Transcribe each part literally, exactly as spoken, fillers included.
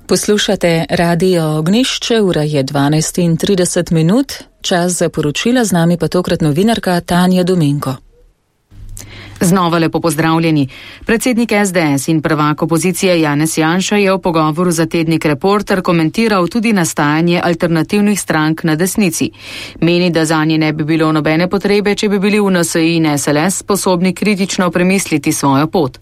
Poslušate Radio Ognjišče, ura je dvanajst in trideset minut, čas za poročila, z nami pa tokrat novinarka Tanja Domenko. Znova lepo pozdravljeni. Predsednik es de es in prvak opozicije Janez Janša je v pogovoru za tednik Reporter komentiral tudi nastajanje alternativnih strank na desnici. Meni, da zanje ne bi bilo nobene potrebe, če bi bili v en es i in es el es sposobni kritično premisliti svojo pot.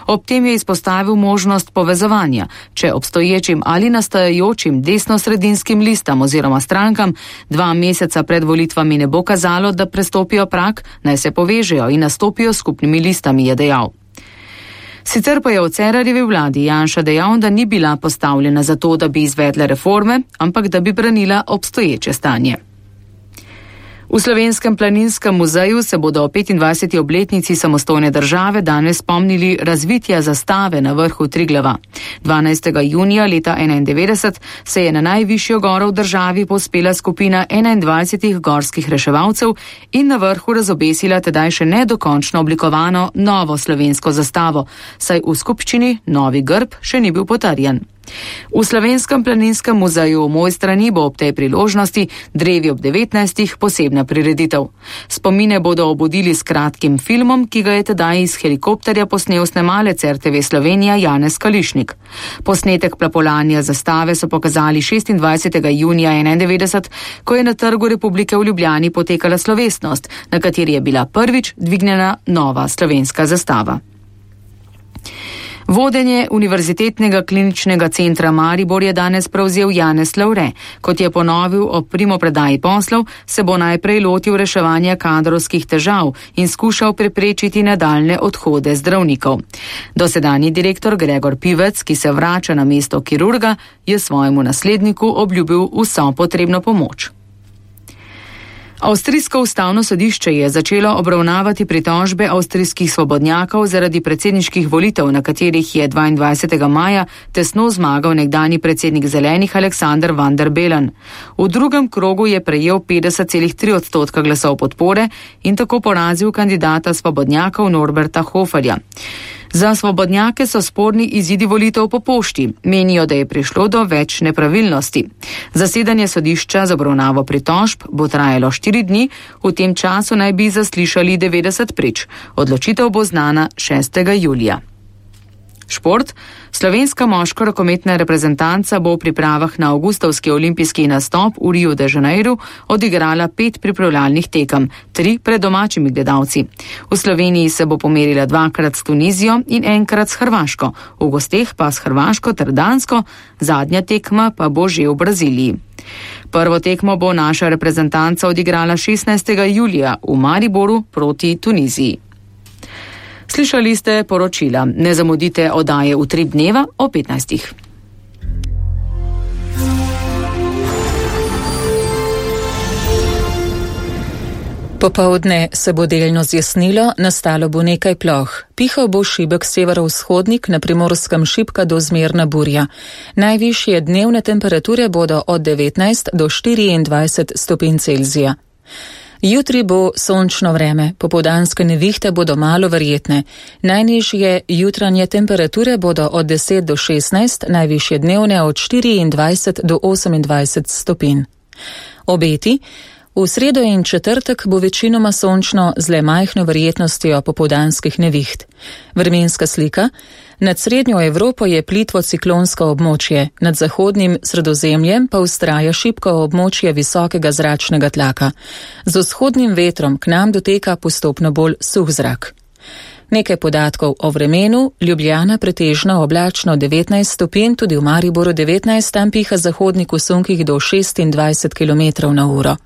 Ob tem je izpostavil možnost povezovanja, če obstoječim ali nastajajočim desnosredinskim listam oziroma strankam dva meseca pred volitvami ne bo kazalo, da prestopijo prag, naj se povežejo in nastopijo skupnimi listami, je dejal. Sicer pa je v Cerarjevi vladi Janša dejal, da ni bila postavljena za to, da bi izvedle reforme, ampak da bi branila obstoječe stanje. V Slovenskem planinskem muzeju se bodo o petindvajseti obletnici samostojne države danes spomnili razvitja zastave na vrhu Triglava. dvanajstega junija leta enaindevetdeset se je na najvišjo goro v državi povzpela skupina enaindvajsetih gorskih reševalcev in na vrhu razobesila tedaj še nedokončno oblikovano novo slovensko zastavo, saj v skupščini novi grb še ni bil potrjen. V Slovenskem planinskem muzeju v Mojstrani bo ob tej priložnosti Drevi ob devetnajstih posebna prireditev. Spomine bodo obudili s kratkim filmom, ki ga je tedaj iz helikopterja posnel snemalec er te ve Slovenija Janez Kališnik. Posnetek plapolanja zastave so pokazali šestindvajsetega junija enaindevetdeset, ko je na Trgu Republike v Ljubljani potekala slovesnost, na kateri je bila prvič dvignjena nova slovenska zastava. Vodenje Univerzitetnega kliničnega centra Maribor je danes prevzel Janez Lavre. Kot je ponovil ob primopredaji poslov, se bo najprej lotil reševanja kadrovskih težav in skušal preprečiti nadaljne odhode zdravnikov. Dosedanji direktor Gregor Pivec, ki se vrača na mesto kirurga, je svojemu nasledniku obljubil vso potrebno pomoč. Avstrijsko ustavno sodišče je začelo obravnavati pritožbe avstrijskih svobodnjakov zaradi predsedniških volitev, na katerih je dvaindvajsetega maja tesno zmagal nekdanji predsednik Zelenih Aleksander Van der Bellen. V drugem krogu je prejel petdeset celih tri odstotka glasov podpore in tako porazil kandidata svobodnjakov Norberta Hoferja. Za svobodnjake so sporni izidi volitev po pošti. Menijo, da je prišlo do več nepravilnosti. Zasedanje sodišča za obravnavo pritožb bo trajalo štiri dni, v tem času naj bi zaslišali devetdeset prič. Odločitev bo znana šestega julija. Šport. Slovenska moška rokometna reprezentanca bo v pripravah na avgustovski olimpijski nastop v Riu de Janeiru odigrala pet pripravljalnih tekem, tri pred domačimi gledalci. V Sloveniji se bo pomerila dvakrat s Tunizijo in enkrat s Hrvaško, v gosteh pa s Hrvaško ter Dansko, zadnja tekma pa bo že v Braziliji. Prvo tekmo bo naša reprezentanca odigrala šestnajstega julija v Mariboru proti Tuniziji. Slišali ste poročila. Ne zamudite oddaje Utrip dneva o petnajstih. Popoldne se bo delno zjasnilo, nastalo bo nekaj ploh. Pihal bo šibek severovzhodnik, na Primorskem šibka do zmerna burja. Najvišje dnevne temperature bodo od devetnajst do štiriindvajset stopinj Celzija. Jutri bo sončno vreme, popoldanske nevihte bodo malo verjetne. Najnižje jutranje temperature bodo od deset do šestnajst, najvišje dnevne od štiriindvajset do osemindvajset stopinj. Obeti. V sredo in četrtek bo večinoma sončno z le majhno verjetnostjo popoldanskih neviht. Vremenska slika. Nad srednjo Evropo je plitvo ciklonsko območje, nad zahodnim Sredozemljem pa vztraja šibko območje visokega zračnega tlaka. Z vzhodnim vetrom k nam doteka postopno bolj suh zrak. Nekaj podatkov o vremenu. Ljubljana pretežno oblačno devetnajst stopinj, tudi v Mariboru devetnajst, tam piha zahodnik v sunkih do šestindvajset kilometrov na uro.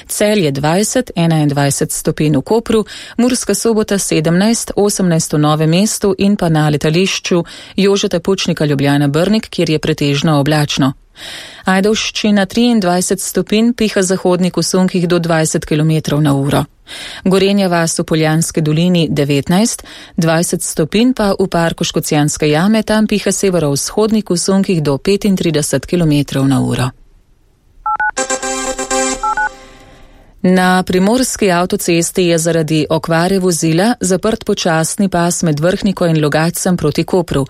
Celje dvajset, enaindvajset stopinj v Kopru, Murska Sobota sedemnajst, osemnajst v Novem mestu in pa na letališču Jožeta Pučnika Ljubljana Brnik, kjer je pretežno oblačno. Ajdovščina triindvajset stopinj, piha zahodnik v sunkih do dvajset kilometrov na uro. Gorenja vas v Poljanski dolini devetnajst, dvajset stopinj pa v parku Škocjanske jame, tam piha severovzhodnik v sunkih do petintrideset kilometrov na uro. Na primorski avtocesti je zaradi okvare vozila zaprt počasni pas med Vrhniko in Logatcem proti Kopru.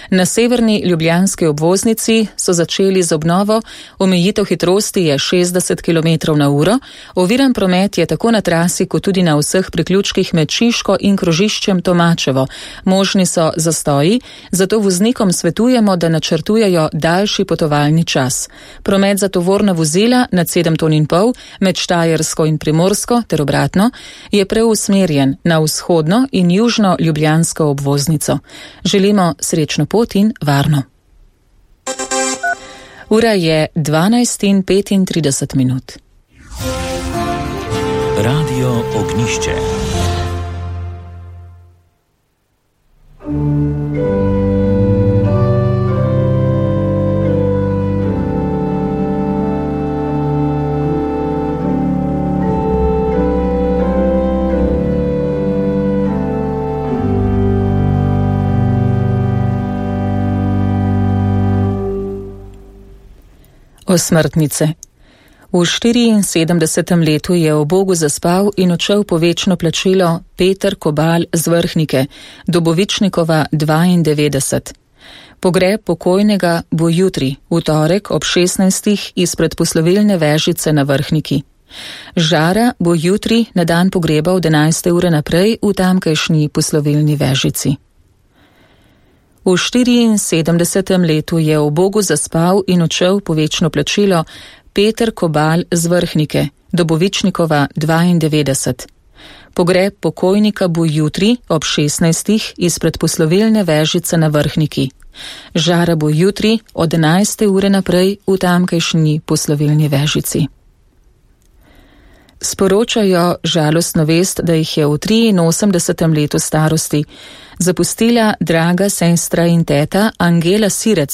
Na severni ljubljanski obvoznici so začeli z obnovo, omejitev hitrosti je šestdeset kilometrov na uro, oviran promet je tako na trasi kot tudi na vseh priključkih med Šiško in krožiščem Tomačevo. Možni so zastoji, zato voznikom svetujemo, da načrtujejo daljši potovalni čas. Promet za tovorna vozila nad sedem ton in pol med Štajersko in Primorsko ter obratno je preusmerjen na vzhodno in južno ljubljansko obvoznico. Želimo srečno pot in varno. Ura je dvanajst in petintrideset minut. Radio Ognišče. Osmrtnice. V štiriinsedemdesetem letu je v Bogu zaspal in odšel po večno plačilo Peter Kobal z Vrhnike, Dobovičnikova dvaindevetdeset. Pogreb pokojnega bo jutri, v torek ob šestnajstih izpred poslovilne vežice na Vrhniki. Žara bo jutri na dan pogreba od enajste ure naprej v tamkajšnji poslovilni vežici. V štiriinsedemdesetem letu je v Bogu zaspal in odšel po večno plačilo Peter Kobal z Vrhnike, Dobovičnikova dvaindevetdeset. Pogreb pokojnika bo jutri ob šestnajstih izpred poslovilne vežice na Vrhniki. Žara bo jutri od enajste ure naprej v tamkajšnji poslovilni vežici. Sporočajo žalostno vest, da jih je v triinosemdesetem letu starosti zapustila draga sestra in teta Angela Sirec.